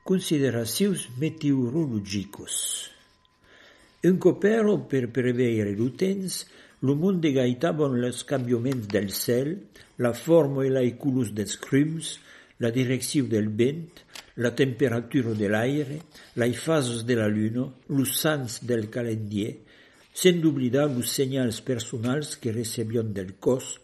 Consideracions meteorologicos. Un copero per preveire lo temps, lo monde gaitaban los cambiaments del cel, la forma e la colors dels crums, la direcció del vent, la temperatura de l'aire, les fases de la lluna, los sants del calendrier, sense oblidar los senyals personals que recebion del cos,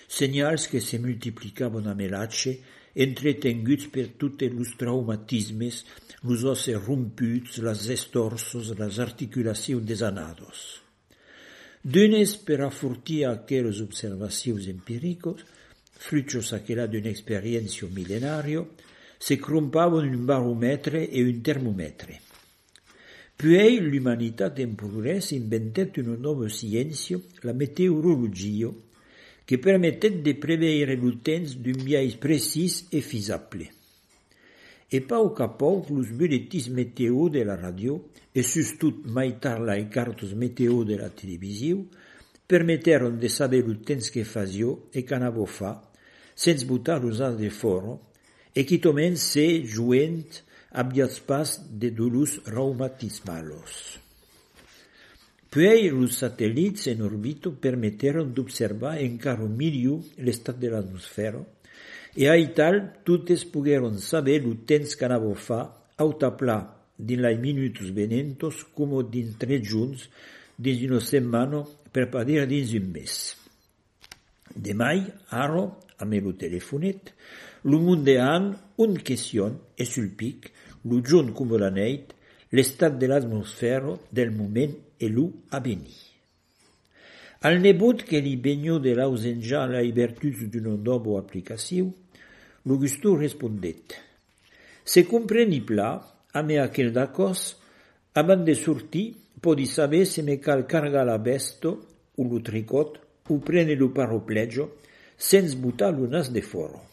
senyals que se multiplicaven a melatge, entretenguts per tutti los traumatismes, los osses romputs, les estorsos, les articulacions desanados. D'unes per afortir aquelles observacions empíricos, frutos aquella d'una experiència millenaria, se crumpaven un baromètre e un termòmetre. Puis l'humanitat en progrés inventet una nova ciència, la meteorologia, que permettet de preveire lo temps d'un biais precis e feasible. E pauc a pauc, los buletins meteo de la radio, e sustot mai tard les cartes meteo de la televisió, permetteron de saber lo temps que fasio e qu'anavo fa, sense botar los as de fora, e quitomen se joent aviats pas de dolors reumatismalos. Puis los satellits en orbita permetteron d'observar encara millor l'estat de l'atmosfera, e aital totes pogueron saber lo temps qu'anavo fa, autapla dins les minutos venentos como dins 3 junts, dins una setmana, per pas dir dins un mes. Demai, ara, a melo telefonet, lo monde han un question e sul pic, lo giorn come la neit, l'estat de l'atmosfera del moment e lo a venir. Al nebot que li begno de l'ausenja la virtuts d'una nova aplicació, l'Augusto respondet: se compreni pla, a me aquel d'acos, abans de sortir, podi saber se me cal cargar la besto, o lo tricot, o prene lo paropleggio, sense botar lo nas de fora.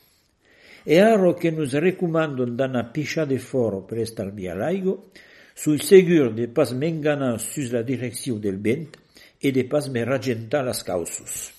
E ara que nos recomandon d'anar pisciar de fora per estalviar l'aigua, sui segur de pas m'enganar sus la direcció del vent e de pas me ragentar las causos.